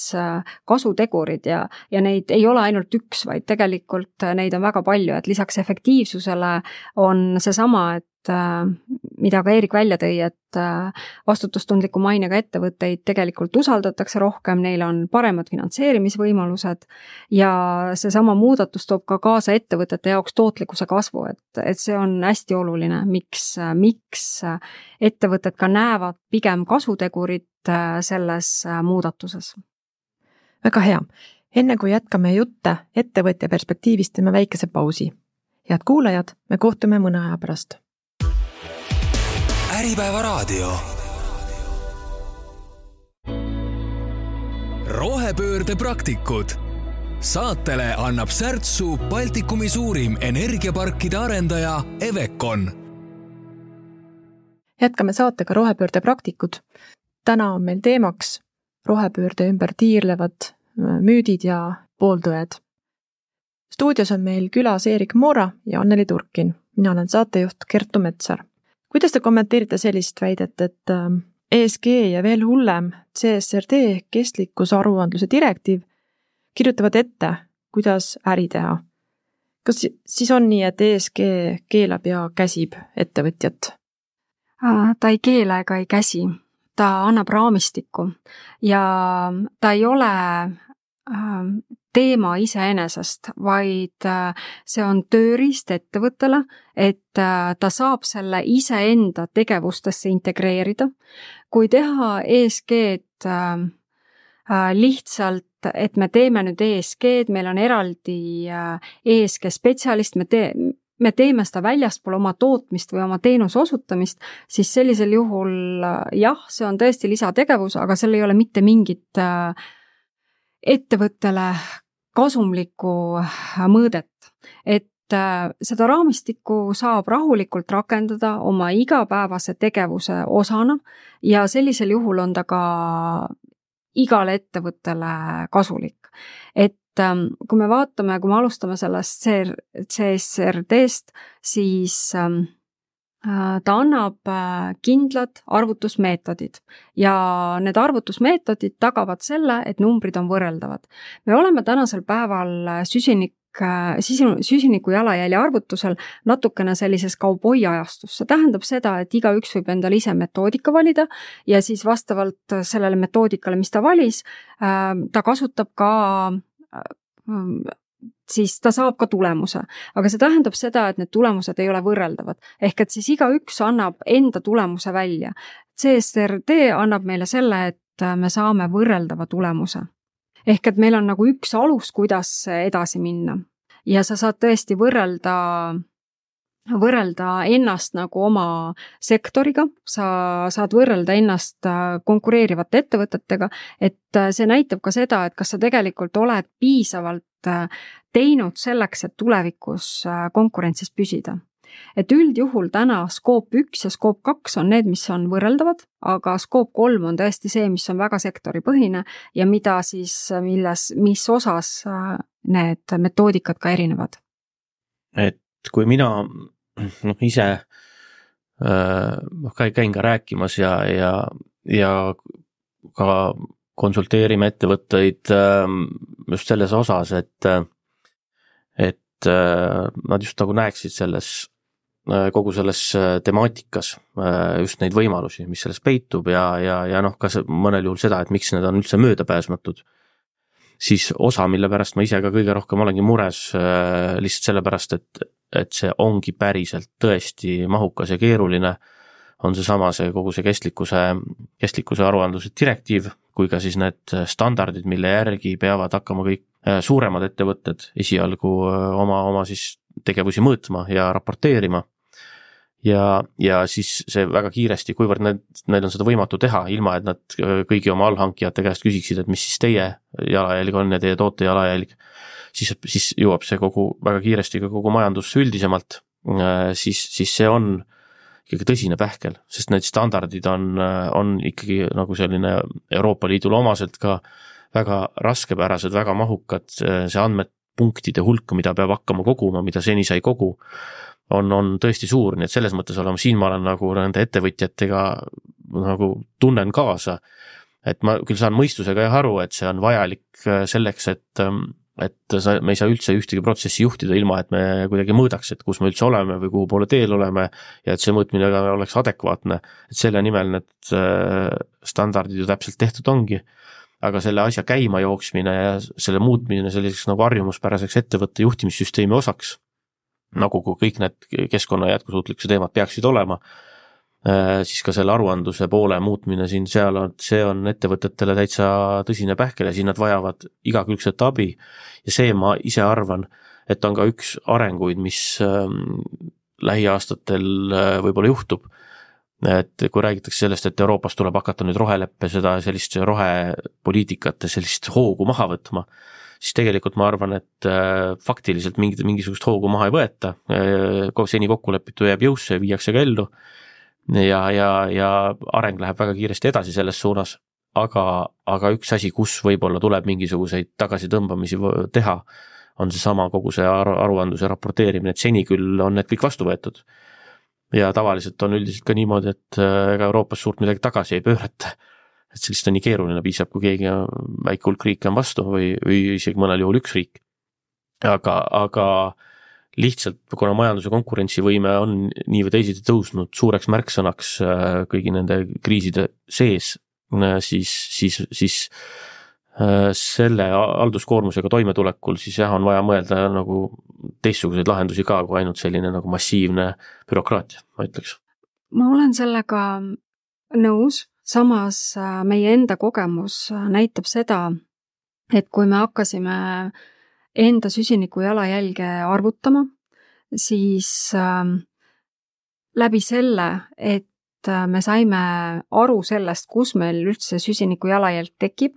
kasutegurid ja, ja neid ei ole ainult üks, vaid tegelikult neid on väga palju, et lisaks efektiivsusele on seesama, et mida ka Eerik välja tõi, et vastutustundliku mainega ettevõtteid tegelikult usaldatakse rohkem, neil on paremad finantseerimisvõimalused ja seesama muudatus toob ka kaasa ettevõtete jaoks tootlikkuse kasvu, et, et see on hästi oluline, miks, miks ettevõtted ka näevad pigem kasutegurit selles muudatuses. Väga hea. Enne kui jätkame jutte ettevõtja perspektiivist, teeme väikese pausi. Head kuulajad, me kohtume mõne aja pärast. Äripäeva raadio. Rohepöörde praktikud. Saatele annab särtsu Baltikumi suurim energiaparkide arendaja Evecon. Jätkame saatega Rohepöörde praktikud. Täna on meil teemaks rohepöörde ümber tiirlevad müüdid ja pooldõed. Stuudios on meil külas Eerik Moora ja Anneli Turkin. Mina olen saatejuht Kertu Metsar. Kuidas te kommenteerite sellist väidet, et E S G ja veel hullem C S R D kestlikkusaruandluse direktiiv kirjutavad ette, kuidas äri teha? Kas siis on nii, et E S G keelab ja käsib ettevõtjat? Ta ei keela ega ei käsi. Ta annab raamistikku ja ta ei ole teema iseenesest, vaid see on tööriist ettevõttele, et ta saab selle iseenda tegevustesse integreerida. Kui teha E S G-d lihtsalt, et me teeme nüüd E S G-d, meil on eraldi E S G spetsialist, me, te, me teeme seda väljaspool oma tootmist või oma teenuse osutamist, siis sellisel juhul jah, see on tõesti lisategevus, aga seal ei ole mitte mingit ettevõttele kasumlikku mõõdet, et seda raamistikku saab rahulikult rakendada oma igapäevase tegevuse osana ja sellisel juhul on ta ka igale ettevõttele kasulik. Et kui me vaatame, kui me alustame sellest C S R D-st, siis ta annab kindlad arvutusmeetodid ja need arvutusmeetodid tagavad selle, et numbrid on võrreldavad. Me oleme tänasel päeval süsinik, süsiniku jalajälje arvutusel natukene sellises kauboi ajastus. See tähendab seda, et igaüks võib endale ise metoodika valida ja siis vastavalt sellele metoodikale, mis ta valis, ta kasutab ka siis ta saab ka tulemuse. Aga see tähendab seda, et need tulemused ei ole võrreldavad. Ehk et siis igaüks annab enda tulemuse välja. C S R D annab meile selle, et me saame võrreldava tulemuse. Ehk et meil on nagu üks alus, kuidas edasi minna. Ja sa saad tõesti võrrelda, võrrelda ennast nagu oma sektoriga, sa saad võrrelda ennast konkureerivate ettevõtetega, et see näitab ka seda, et kas sa tegelikult oled piisavalt teinud selleks, et tulevikus konkurentsis püsida. Et üldjuhul täna skoop üks ja skoop kaks on need, mis on võrreldavad, aga skoop kolm on tõesti see, mis on väga sektoripõhine ja mida siis, milles, mis osas need metoodikad ka erinevad. Et kui mina noh, ise äh, käin ka rääkimas ja, ja, ja ka konsulteerime ettevõtteid just selles osas, et, et nad just nagu näeksid selles, kogu selles temaatikas just neid võimalusi, mis selles peitub ja, ja, ja noh, ka mõnel juhul seda, et miks need on üldse möödapääsmatud, siis osa, mille pärast ma ise ka kõige rohkem olengi mures lihtsalt sellepärast, et, et see ongi päriselt tõesti mahukas ja keeruline, on see sama see kogu see kestlikkuse, kestlikkuse aruandluse direktiiv, kui ka siis need standardid, mille järgi peavad hakkama kõik suuremad ettevõtted esialgu oma, oma siis tegevusi mõõtma ja raporteerima. Ja, ja siis see väga kiiresti, kuivõrd need, need on seda võimatu teha, ilma et nad kõigi oma allhankijate käest küsiksid, et mis siis teie jalajälg on ja teie toote jalajälg, siis, siis jõuab see kogu väga kiiresti ka kogu majandusse üldisemalt, siis, siis see on ikkagi tõsine pähkel, sest need standardid on, on ikkagi nagu selline Euroopa Liidule omaselt ka väga raskepärased, väga mahukad, see andmepunktide hulk, mida peab hakkama koguma, mida seni sai kogu, on, on tõesti suur, nii et selles mõttes olema, siin ma olen nagu nende ettevõtjatega nagu tunnen kaasa, et ma küll saan mõistusega jah aru, et see on vajalik selleks, et et sa, me ei saa üldse ühtegi protsessi juhtida ilma, et me kuidagi mõõdaks, et kus me üldse oleme või kuhu poole teel oleme ja et see mõõtmine oleks adekvaatne, et selle nimel need standardid ju täpselt tehtud ongi, aga selle asja käima jooksmine ja selle muutmine selliseks nagu harjumuspäraseks ettevõtte juhtimissüsteemi osaks, nagu kui kõik need keskkonna jätkusuutlikkuse teemad peaksid olema, siis ka selle aruandluse poole muutmine siin seal on, see on ettevõtetele täitsa tõsine pähkel ja siin nad vajavad igakülgset abi ja see ma ise arvan, et on ka üks arenguid, mis lähiaastatel võib-olla juhtub, et kui räägitakse sellest, et Euroopas tuleb hakata nüüd roheleppe seda sellist rohepoliitikat ja sellist hoogu maha võtma, siis tegelikult ma arvan, et faktiliselt mingit, mingisugust hoogu maha ei võeta, seni kokkulepitu jääb jõusse ja viiakse ka ellu, ja, ja, ja areng läheb väga kiiresti edasi selles suunas, aga, aga üks asi, kus võib-olla tuleb mingisuguseid tagasitõmbamisi teha, on see sama kogu see aru, aruandluse raporteerimine, et seni küll on need kõik vastu võetud. Ja tavaliselt on üldiselt ka niimoodi, et ega Euroopas suurt midagi tagasi ei pöörata, et sellist on nii keeruline, piisab, kui keegi väike hulk riike on vastu või, või isegi mõnel juhul üks riik. Aga, aga lihtsalt, kuna majanduse konkurentsivõime on nii või teisiti tõusnud suureks märksõnaks kõigi nende kriiside sees, siis, siis, siis selle halduskoormusega toimetulekul siis jah, on vaja mõelda nagu teistsuguseid lahendusi ka, kui ainult selline nagu massiivne bürokraatia, ma ütleks. Ma olen sellega nõus, samas meie enda kogemus näitab seda, et kui me hakkasime enda süsiniku jalajälge arvutama, siis äh, läbi selle, et me saime aru sellest, kus meil üldse süsiniku jalajälg tekib,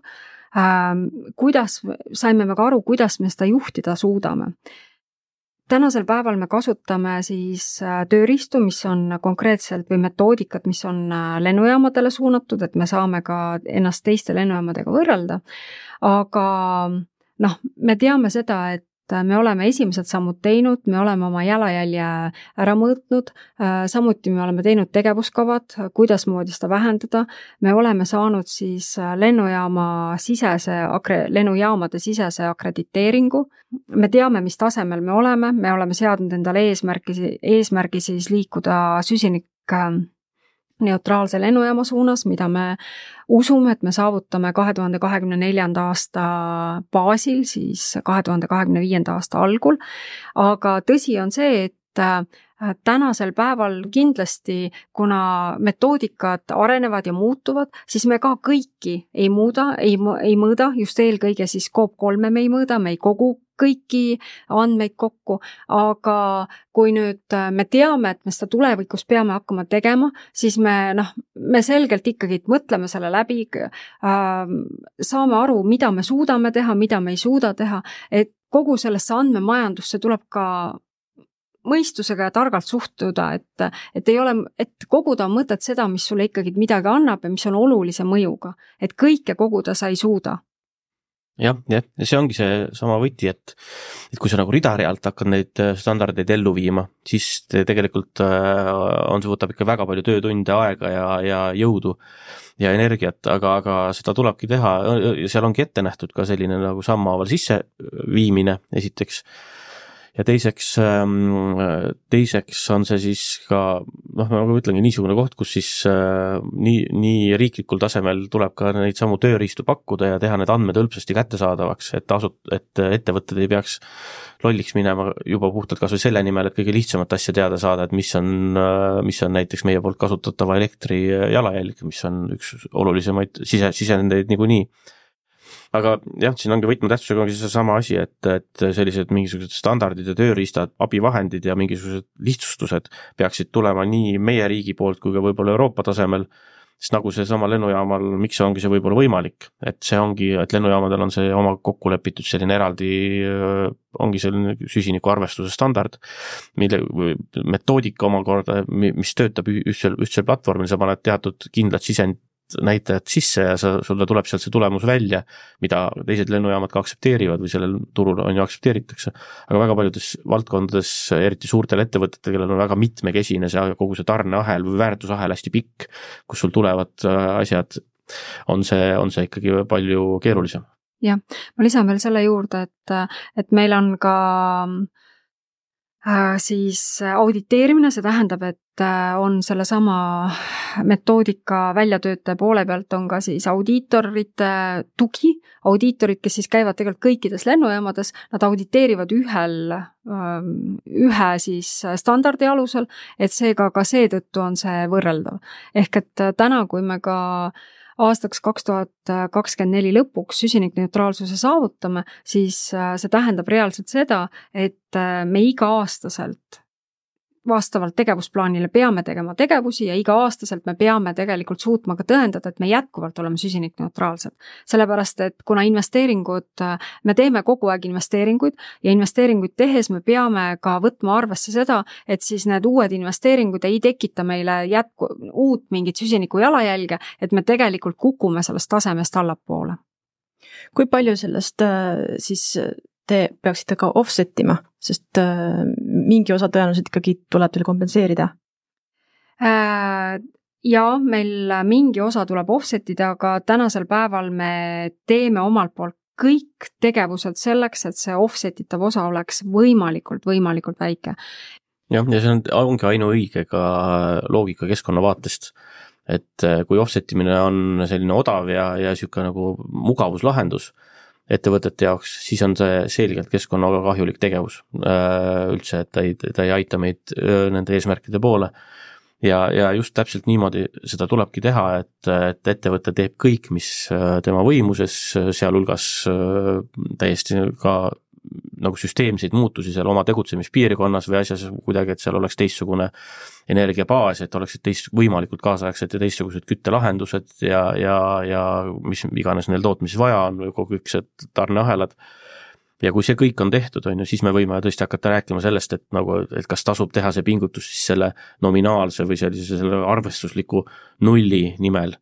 äh, kuidas, saime me ka aru, kuidas me seda juhtida suudame. Tänasel päeval me kasutame siis tööriistu, mis on konkreetselt või metoodikat, mis on lennujaamadele suunatud, et me saame ka ennast teiste lennujaamadega võrrelda, aga noh, me teame seda, et me oleme esimesed sammud teinud, me oleme oma jalajälje ära mõõtnud, samuti me oleme teinud tegevuskavad, kuidas moodi seda vähendada, me oleme saanud siis lennujaama sisese, lennujaamade sisese akrediteeringu, me teame, mis tasemel me oleme, me oleme seadnud endale eesmärgi, eesmärgi siis liikuda süsinik neutraalse lennujaama suunas, mida me usume, et me saavutame kahe tuhande kahekümne neljanda aasta baasil, siis kahe tuhande kahekümne viienda aasta algul, aga tõsi on see, et tänasel päeval kindlasti, kuna metoodikad arenevad ja muutuvad, siis me ka kõiki ei muuda, ei, ei mõõda, just eelkõige siis Scope kolme me ei mõõda, me ei kogu kõiki andmeid kokku, aga kui nüüd me teame, et me seda tulevikus peame hakkama tegema, siis me, noh, me selgelt ikkagi mõtleme selle läbi, äh, saame aru, mida me suudame teha, mida me ei suuda teha, et kogu sellesse andmemajandusse tuleb ka mõistusega ja targalt suhtuda, et, et ei ole, et koguda on mõtet seda, mis sulle ikkagi midagi annab ja mis on olulise mõjuga, et kõike koguda sa ei suuda. jah, jah, ja see ongi see sama võti, et, et kui sa nagu ridarealt hakkad neid standardeid ellu viima, siis tegelikult on, see võtab ikka väga palju töötunde, aega ja, ja jõudu ja energiat, aga, aga seda tulebki teha ja seal ongi ette nähtud ka selline nagu sammhaaval sisse viimine esiteks. Ja teiseks, teiseks on see siis ka, noh, ma ütlengi niisugune koht, kus siis nii, nii riiklikul tasemel tuleb ka neid samu tööriistu pakkuda ja teha need andmed hõlpsasti kättesaadavaks, et, asut, et ettevõtted ei peaks lolliks minema juba puhtalt kas või selle nimel, et kõige lihtsamat asja teada saada, et mis on, mis on näiteks meie poolt kasutatava elektri jalajälg, mis on üks olulisemaid sise, sisendeid niikuinii. Aga jah, siin ongi võtmetähtsusega ongi see sama asi, et, et sellised mingisugused standardid ja tööriistad, abivahendid ja mingisugused lihtsustused peaksid tulema nii meie riigi poolt kui ka võib-olla Euroopa tasemel, sest nagu see sama lennujaamal, miks ongi see võib-olla võimalik, et see ongi, et lennujaamadel on see oma kokku lepitud selline eraldi, ongi selline süsiniku arvestuse standard, mille metoodika omakorda, mis töötab ühtsel, ühtsel platvormil, sa paned teatud kindlad sisend näitajad sisse ja sa, sulle tuleb sealt see tulemus välja, mida teised lennujaamad ka aktsepteerivad või sellel turul on ju aktsepteeritakse. Aga väga paljudes valdkondades, eriti suurtel ettevõtetel, kellel on väga mitmekesine see kogu see tarneahel või väärtusahel hästi pikk, kus sul tulevad asjad, on see, on see ikkagi palju keerulisem. Jah, ma lisan veel selle juurde, et, et meil on ka siis auditeerimine, see tähendab, et on selle sama metoodika väljatöötaja poole pealt on ka siis audiitorite tugi, audiitorid, kes siis käivad tegelikult kõikides lennujaamades, nad auditeerivad ühel, ühe siis standardi alusel, et seega ka seetõttu on see võrreldav. Ehk et täna, kui me ka aastaks kaks tuhat kakskümmend neli lõpuks süsinikneutraalsuse saavutame, siis see tähendab reaalselt seda, et me iga-aastaselt vastavalt tegevusplaanile peame tegema tegevusi ja iga-aastaselt me peame tegelikult suutma ka tõendada, et me jätkuvalt oleme süsinikneutraalsed. Sellepärast, et kuna investeeringud, me teeme kogu aeg investeeringuid ja investeeringuid tehes me peame ka võtma arvesse seda, et siis need uued investeeringud ei tekita meile jätku, uut mingit süsiniku jalajälge, et me tegelikult kukume sellest tasemest allapoole. Kui palju sellest siis te peaksite ka offsetima, sest mingi osa tõenäoliselt ikkagi tuleb teil kompenseerida? Ja meil mingi osa tuleb offsetida, aga tänasel päeval me teeme omalt poolt kõik tegevused selleks, et see offsetitav osa oleks võimalikult, võimalikult väike. Jah, ja see on, ongi ainuõige ka loogika keskkonna vaatest, et kui offsetimine on selline odav ja, ja siuke nagu mugavuslahendus ettevõtete jaoks, siis on see selgelt keskkonnaga kahjulik tegevus üldse, et ta ei, ta ei aita meid nende eesmärkide poole. Ja, ja just täpselt niimoodi seda tulebki teha, et, et ettevõte teeb kõik, mis tema võimuses, sealhulgas täiesti ka nagu süsteemseid muutusi seal oma tegutsemispiirkonnas või asjas kuidagi, et seal oleks teistsugune energiabaas, et oleksid teist, võimalikult kaasaegsed ja teistsugused küttelahendused ja, ja, ja mis iganes neil tootmises vaja on või kogu üks tarneahelad. Ja kui see kõik on tehtud, on ju, siis me võime tõesti hakata rääkima sellest, et, nagu, et kas tasub teha see pingutus siis selle nominaalse või sellise selle arvestusliku nulli nimel.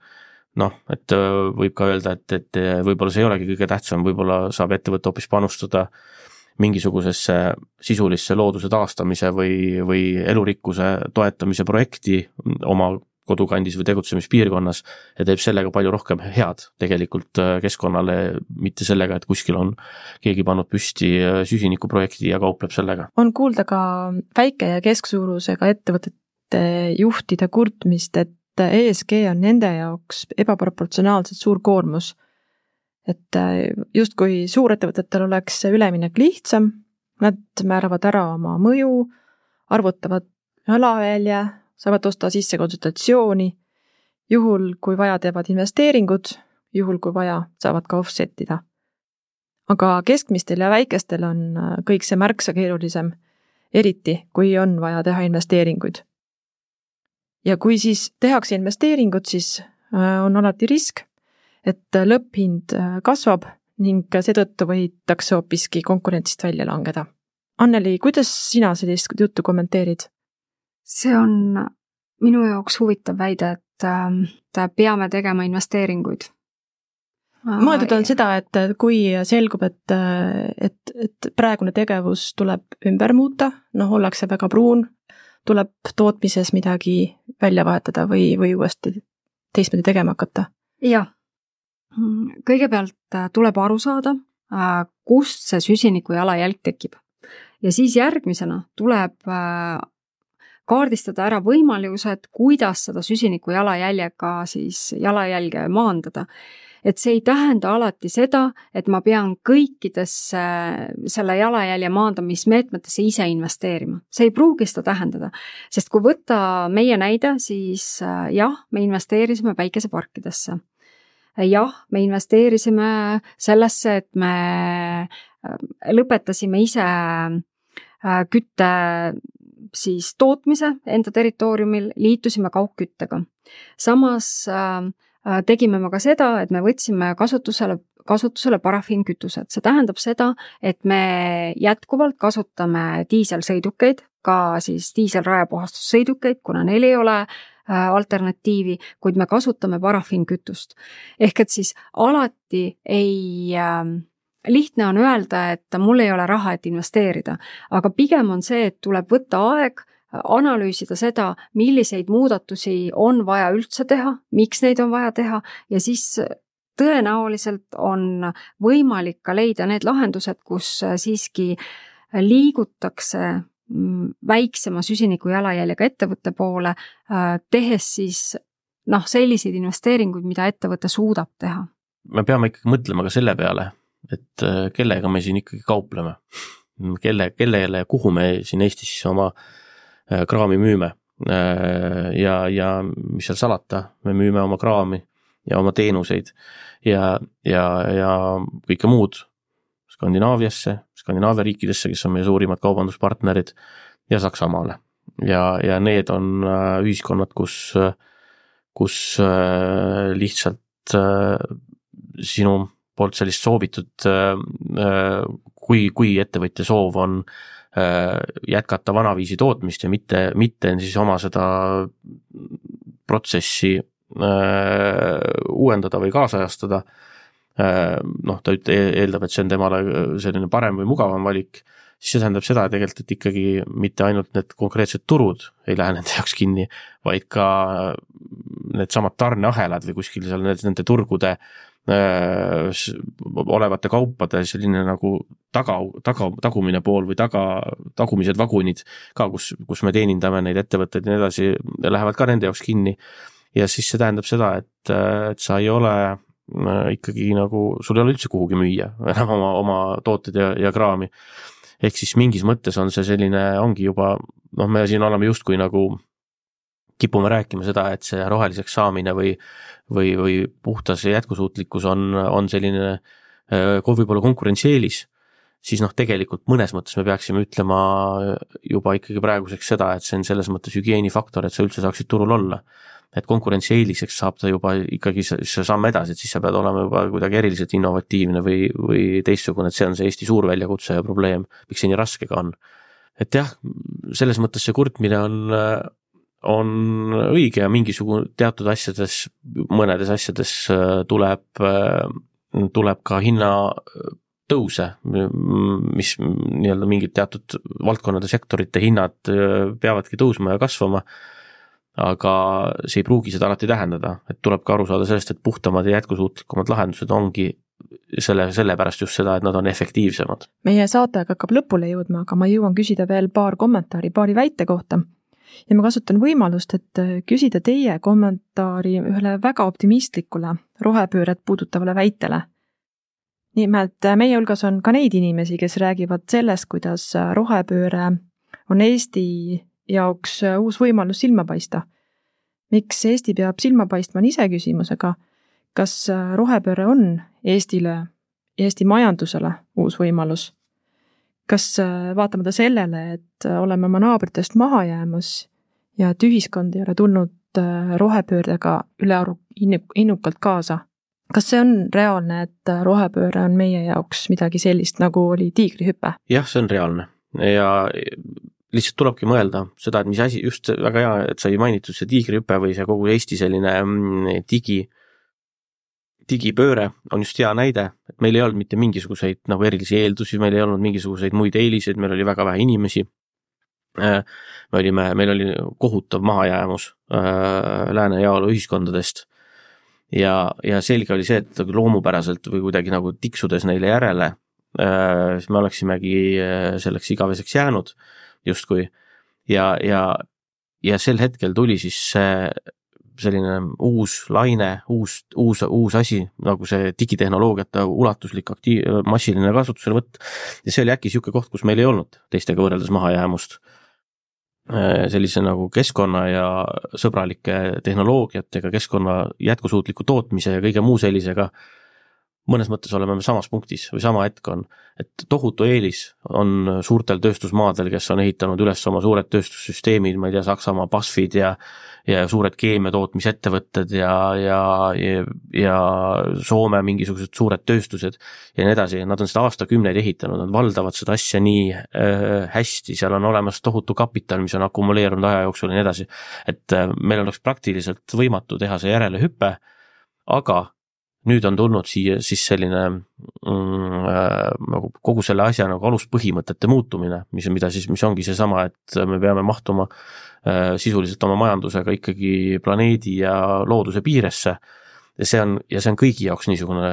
Noh, et võib ka öelda, et, et võib-olla see ei olegi kõige tähtsam, võib-olla saab ettevõtte hoopis panustada mingisugusesse sisulisse looduse taastamise või, või elurikkuse toetamise projekti oma kodukandis või tegutsemispiirkonnas ja teeb sellega palju rohkem head tegelikult keskkonnale, mitte sellega, et kuskil on keegi pannud püsti süsinikuprojekti ja kaupleb sellega. On kuulda ka väike- ja kesksuurusega ettevõtete juhtide kurtmist, et E S G on nende jaoks ebaproportsionaalselt suur koormus. Et just kui suurettevõtetel oleks üleminek lihtsam, nad määravad ära oma mõju, arvutavad jalajälje, saavad osta sisse konsultatsiooni, juhul kui vaja teevad investeeringud, juhul kui vaja saavad ka offsetida. Aga keskmistel ja väikestel on kõik see märksa keerulisem, eriti kui on vaja teha investeeringuid. Ja kui siis tehakse investeeringud, siis on alati risk, et lõpphind kasvab ning seetõttu võidakse hoopiski konkurentsist välja langeda. Anneli, kuidas sina sellist juttu kommenteerid? See on minu jaoks huvitav väide, et peame tegema investeeringuid. Mõeldud on seda, et kui selgub, et, et, et praegune tegevus tuleb ümber muuta, noh, ollakse väga pruun, tuleb tootmises midagi välja vahetada või, või uuesti teistmoodi tegema hakata? Jah. Kõigepealt tuleb aru saada, kust see süsiniku jalajälg tekib. Ja siis järgmisena tuleb kaardistada ära võimalused, kuidas seda süsiniku jalajäljega siis jalajälge maandada. Et see ei tähenda alati seda, et ma pean kõikidesse selle jalajälje maandamismeetmetesse ise investeerima. See ei pruugi seda tähendada, sest kui võtta meie näide, siis jah, me investeerisime päikeseparkidesse. Jah, me investeerisime sellesse, et me lõpetasime ise kütte siis tootmise enda territooriumil, liitusime kaugküttega. Samas äh, tegime me ka seda, et me võtsime kasutusele, kasutusele parafiinkütused. See tähendab seda, et me jätkuvalt kasutame diiselsõidukeid, ka siis diiselrajapuhastussõidukeid, kuna neil ei ole alternatiivi, kuid me kasutame parafiinkütust. Ehk et siis alati ei, äh, lihtne on öelda, et mul ei ole raha, et investeerida, aga pigem on see, et tuleb võtta aeg, analüüsida seda, milliseid muudatusi on vaja üldse teha, miks neid on vaja teha ja siis tõenäoliselt on võimalik ka leida need lahendused, kus siiski liigutakse väiksema süsiniku jalajäljega ettevõtte poole, tehes siis noh, selliseid investeeringuid, mida ettevõte suudab teha. Me peame ikkagi mõtlema ka selle peale, et kellega me siin ikkagi kaupleme, kelle, kellele ja kuhu me siin Eestis oma kraami müüme ja, ja mis seal salata, me müüme oma kraami ja oma teenuseid ja, ja, ja kõike muud Skandinaaviasse, Skandinaavia riikidesse, kes on meie suurimad kaubanduspartnerid ja Saksamaale. Ja, ja need on ühiskonnad, kus, kus lihtsalt sinu poolt sellist soovitud, kui, kui ettevõtja soov on jätkata vanaviisi tootmist ja mitte, mitte siis oma seda protsessi uuendada või kaasajastada, noh, ta eeldab, et see on temale selline parem või mugavam valik, siis see tähendab seda tegelikult, et ikkagi mitte ainult need konkreetsed turud ei lähe nende jaoks kinni, vaid ka need samad tarneahelad või kuskil seal nende turgude äh, olevate kaupade selline nagu taga, taga, tagumine pool või taga, tagumised vagunid ka, kus, kus me teenindame neid ettevõtteid ja nii edasi, lähevad ka nende jaoks kinni ja siis see tähendab seda, et, et sa ei ole ikkagi nagu, sul ei ole üldse kuhugi müüa enam oma, oma tooted ja, ja kraami. Ehk siis mingis mõttes on see selline, ongi juba, noh, me siin oleme justkui nagu kipume rääkima seda, et see roheliseks saamine või, või, või puhtas jätkusuutlikkus on, on selline võib-olla konkurentsieelis, siis noh, tegelikult mõnes mõttes me peaksime ütlema juba ikkagi praeguseks seda, et see on selles mõttes hügieenifaktor, et sa üldse saaksid turul olla. Et konkurentsieeliseks saab ta juba ikkagi see samm edasi, et siis sa pead olema juba kuidagi eriliselt innovatiivne või, või teistsugune, et see on see Eesti suur väljakutse ja probleem, miks see nii raske ka on. Et jah, selles mõttes see kurtmine on, on õige ja mingisugune teatud asjades, mõnedes asjades tuleb, tuleb ka hinna tõuse, mis nii-öelda mingid teatud valdkonnade sektorite hinnad peavadki tõusma ja kasvama, aga see ei pruugi seda alati tähendada, et tuleb ka aru saada sellest, et puhtamad ja jätkusuutlikumad lahendused ongi selle, selle pärast just seda, et nad on efektiivsemad. Meie saatega hakkab lõpule jõudma, aga ma jõuan küsida veel paar kommentaari, paari väite kohta. Ja ma kasutan võimalust, et küsida teie kommentaari ühele väga optimistlikule rohepööret puudutavale väitele. Nimelt meie hulgas on ka neid inimesi, kes räägivad sellest, kuidas rohepööre on Eesti jaoks uus võimalus silma paista. Miks Eesti peab silma paistma on ise küsimusega, kas rohepööre on Eestile, Eesti majandusele uus võimalus? Kas vaatamata sellele, et oleme oma naabritest maha jäämas ja et ühiskond ei ole tulnud rohepöördega ülearu innukalt kaasa? Kas see on reaalne, et rohepööre on meie jaoks midagi sellist, nagu oli tiigrihüpe? Jah, see on reaalne ja lihtsalt tulebki mõelda seda, et mis asi, just väga hea, et sai mainitud see tiigrihüpe või see kogu Eesti selline digi, digipööre on just hea näide, et meil ei olnud mitte mingisuguseid nagu erilisi eeldusi, meil ei olnud mingisuguseid muid eeliseid, meil oli väga vähe inimesi. Me olime, meil oli kohutav mahajäämus lääne jaolu ühiskondadest ja, ja selge oli see, et loomupäraselt või kuidagi nagu tiksudes neile järele, siis me oleksimegi selleks igaveseks jäänud justkui ja, ja, ja sel hetkel tuli siis see selline uus laine, uus, uus, uus asi, nagu see digitehnoloogiate ulatuslik aktiiv, massiline kasutusele võtt ja see oli äkki siuke koht, kus meil ei olnud teistega võrreldes mahajäämust. Sellise nagu keskkonna ja sõbralike tehnoloogiatega, keskkonna jätkusuutliku tootmise ja kõige muu sellisega mõnes mõttes oleme me samas punktis või sama hetk on, et tohutu eelis on suurtel tööstusmaadel, kes on ehitanud üles oma suured tööstussüsteemid, ma ei tea, Saksamaa BASFid ja, ja suured keemiatootmisettevõtted ja, ja, ja, ja Soome mingisugused suured tööstused ja nii edasi. Nad on seda aastakümneid ehitanud, nad valdavad seda asja nii äh, hästi, seal on olemas tohutu kapital, mis on akumuleerunud aja jooksul ja nii edasi. Et äh, meil oleks praktiliselt võimatu teha see järelehüppe, aga nüüd on tulnud siia siis selline mm, nagu kogu selle asja nagu aluspõhimõtete muutumine, mis, mida siis, mis ongi see sama, et me peame mahtuma äh, sisuliselt oma majandusega ikkagi planeedi ja looduse piiresse ja see on, ja see on kõigi jaoks niisugune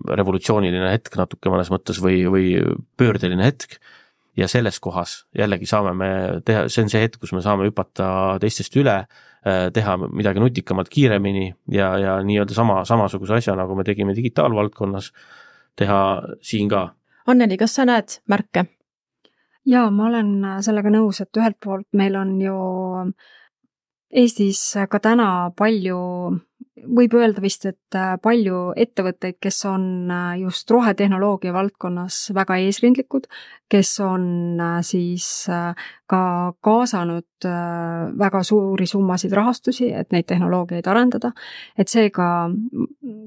revolutsiooniline hetk natuke mõnes mõttes või, või pöördeline hetk ja selles kohas jällegi saame me teha, see on see hetk, kus me saame hüpata teistest üle, teha midagi nutikamalt kiiremini ja, ja nii-öelda sama, samasuguse asja, nagu me tegime digitaalvaldkonnas, teha siin ka. Anneli, kas sa näed märke? Jaa, ma olen sellega nõus, et ühelt poolt meil on ju Eestis ka täna palju, võib öelda vist, et palju ettevõtteid, kes on just rohetehnoloogia valdkonnas väga eesrindlikud, kes on siis ka kaasanud väga suuri summasid rahastusi, et neid tehnoloogiaid arendada. Et seega,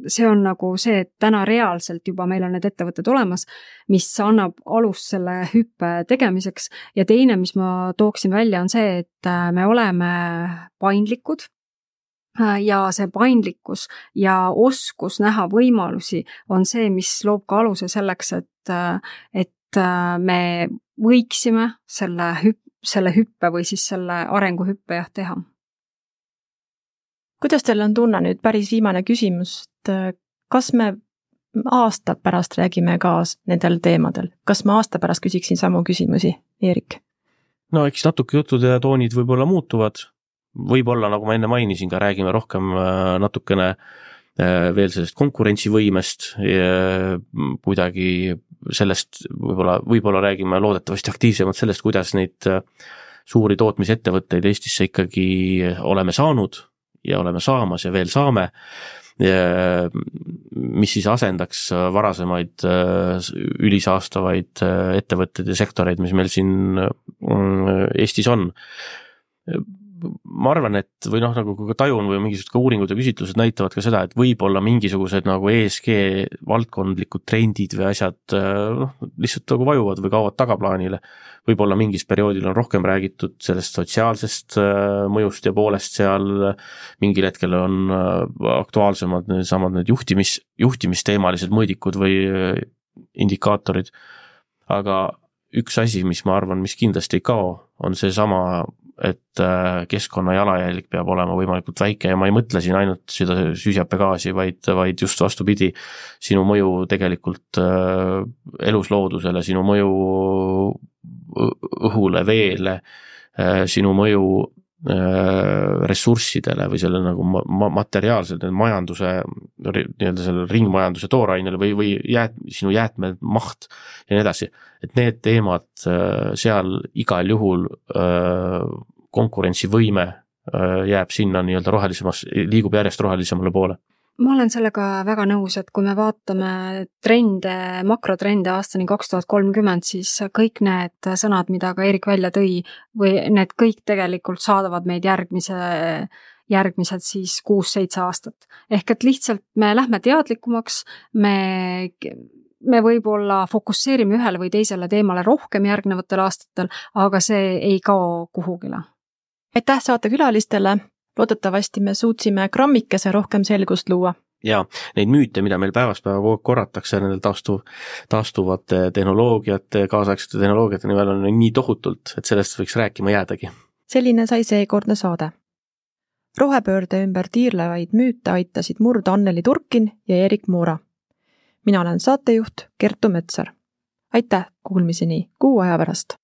see on nagu see, et täna reaalselt juba meil on need ettevõtted olemas, mis annab alust selle hüppe tegemiseks. Ja teine, mis ma tooksin välja, on see, et me oleme paindlikud ja see paindlikkus ja oskus näha võimalusi on see, mis loob ka aluse selleks, et, et me võiksime selle, hüp, selle hüppe või siis selle arenguhüppe jah teha. Kuidas teil on tunne nüüd päris viimane küsimus, et kas me aasta pärast räägime ka nendel teemadel? Kas ma aasta pärast küsiksin samu küsimusi, Eerik? No eks natuke jutud ja toonid võib-olla muutuvad. Võib-olla, nagu ma enne mainisin, ka räägime rohkem natukene veel sellest konkurentsivõimest ja kuidagi sellest, võib-olla, võib-olla räägime loodetavasti aktiivsemalt sellest, kuidas neid suuri tootmisettevõtteid Eestisse ikkagi oleme saanud ja oleme saamas ja veel saame, ja mis siis asendaks varasemaid ülisaastavaid ettevõtteid ja sektoreid, mis meil siin Eestis on. Ma arvan, et või noh, nagu ka tajun või mingisugused ka uuringud ja küsitlused näitavad ka seda, et võib-olla mingisugused nagu E S G valdkondlikud trendid või asjad noh, lihtsalt nagu vajuvad või kaovad tagaplaanile. Võib-olla mingis perioodil on rohkem räägitud sellest sotsiaalsest mõjust ja poolest seal, mingil hetkel on aktuaalsemad need samad need juhtimis, juhtimisteemalised mõõdikud või indikaatorid. Aga üks asi, mis ma arvan, mis kindlasti ei kao, on see sama, et keskkonna jalajälg peab olema võimalikult väike ja ma ei mõtle siin ainult seda süsihappegaasi, vaid, vaid just vastupidi, sinu mõju tegelikult elusloodusele, sinu mõju õhule, veele, sinu mõju ressurssidele või selle nagu ma- materiaalselt majanduse, nii-öelda selle ringmajanduse toorainele või, või jäät, sinu jäätme maht ja nii edasi. Et need teemad seal igal juhul konkurentsivõime jääb sinna nii-öelda rohelisemas, liigub järjest rohelisemale poole. Ma olen sellega väga nõus, et kui me vaatame trende, makrotrende aastani kaks tuhat kolmkümmend, siis kõik need sõnad, mida ka Eerik välja tõi, või need kõik tegelikult saadavad meid järgmise, järgmised siis kuus-seitse aastat. Ehk et lihtsalt me lähme teadlikumaks, me, me võib-olla fokusseerime ühele või teisele teemale rohkem järgnevatel aastatel, aga see ei kao kuhugile. Aitäh saate külalistele! Loodetavasti me suutsime grammikese rohkem selgust luua. Ja neid müüte, mida meil päevast päeva korratakse nendel taastuv, taastuvate tehnoloogiate, kaasaegsete tehnoloogiate nimel on nii tohutult, et sellest võiks rääkima jäädagi. Selline sai seekordne saade. Rohepöörde ümber tiirlevaid müüte aitasid murda Anneli Turkin ja Eerik Moora. Mina olen saatejuht Kertu Metsar. Aitäh kuulmiseni kuu aja pärast!